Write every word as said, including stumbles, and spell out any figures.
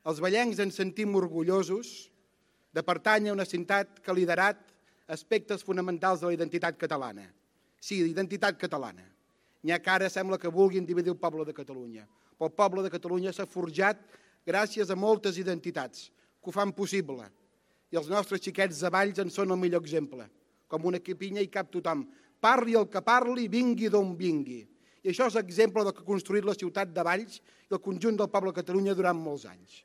Els vallencs ens sentim orgullosos de pertànyer a una ciutat que ha liderat aspectes fonamentals de la identitat catalana. Sí, identitat catalana. N'hi ha que ara sembla que vulguin dividir el poble de Catalunya. Però el poble de Catalunya s'ha forjat gràcies a moltes identitats que ho fan possible. I els nostres xiquets de Valls en són el millor exemple. Com una pinya hi cap tothom. Parli el que parli, vingui d'on vingui. I això és exemple del que ha construït la ciutat de Valls i el conjunt del poble de Catalunya durant molts anys.